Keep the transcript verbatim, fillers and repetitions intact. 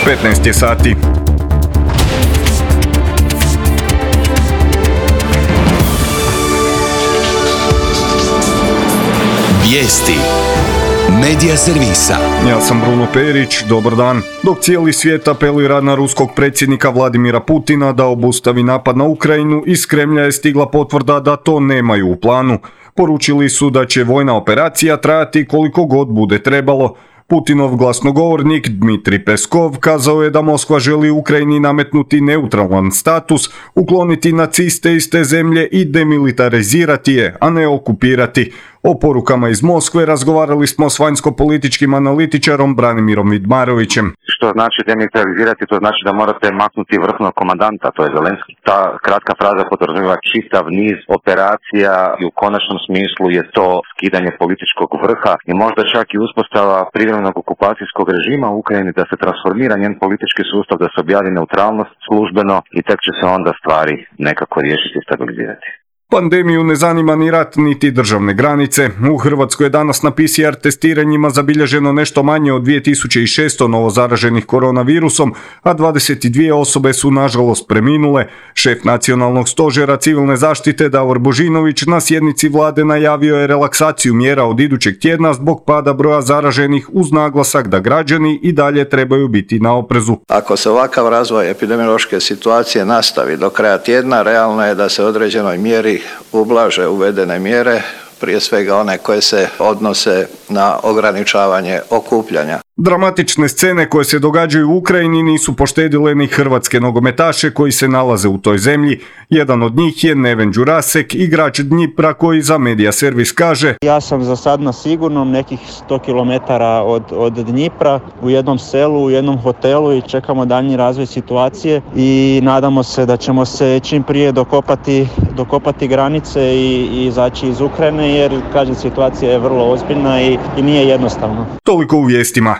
petnaest je sati. Vijesti Medija servisa. Ja sam Bruno Perić, dobar dan. Dok cijeli svijet apelira na ruskog predsjednika Vladimira Putina da obustavi napad na Ukrajinu, iz Kremlja je stigla potvrda da to nemaju u planu. Poručili su da će vojna operacija trajati koliko god bude trebalo. Putinov glasnogovornik Dmitrij Peskov kazao je da Moskva želi Ukrajini nametnuti neutralan status, ukloniti naciste iz te zemlje i demilitarizirati je, a ne okupirati. O porukama iz Moskve razgovarali smo s vanjsko-političkim analitičarom Branimirom Vidmarovićem. Što znači demilitarizirati? To znači da morate maknuti vrhovnog komandanta, to je Zelenski. Ta kratka fraza podrazumijeva čitav niz operacija i u konačnom smislu je to skidanje političkog vrha i možda čak i uspostava privremenog okupacijskog režima u Ukrajini, da se transformira njen politički sustav, da se objavi neutralnost službeno i tek će se onda stvari nekako riješiti i stabilizirati. Pandemiju ne zanima ni rat, niti državne granice. U Hrvatskoj je danas na P C R testiranjima zabilježeno nešto manje od dvije tisuće šesto novozaraženih koronavirusom, a dvadeset dvije osobe su nažalost preminule. Šef Nacionalnog stožera civilne zaštite Davor Božinović na sjednici vlade najavio je relaksaciju mjera od idućeg tjedna zbog pada broja zaraženih, uz naglasak da građani i dalje trebaju biti na oprezu. Ako se ovakav razvoj epidemiološke situacije nastavi do kraja tjedna, realno je da se određenoj mjeri ublaže uvedene mjere, prije svega one koje se odnose na ograničavanje okupljanja. Dramatične scene koje se događaju u Ukrajini nisu poštedile ni hrvatske nogometaše koji se nalaze u toj zemlji. Jedan od njih je Neven Đurasek, igrač Dnjipra, koji za Medija servis kaže: Ja sam za sad na sigurnom, nekih sto kilometara od, od Dnjipra, u jednom selu, u jednom hotelu i čekamo daljnji razvoj situacije i nadamo se da ćemo se čim prije dokopati, dokopati granice i, i izaći iz Ukrajine, jer kažem, situacija je vrlo ozbiljna i, i nije jednostavno. Toliko u vijestima.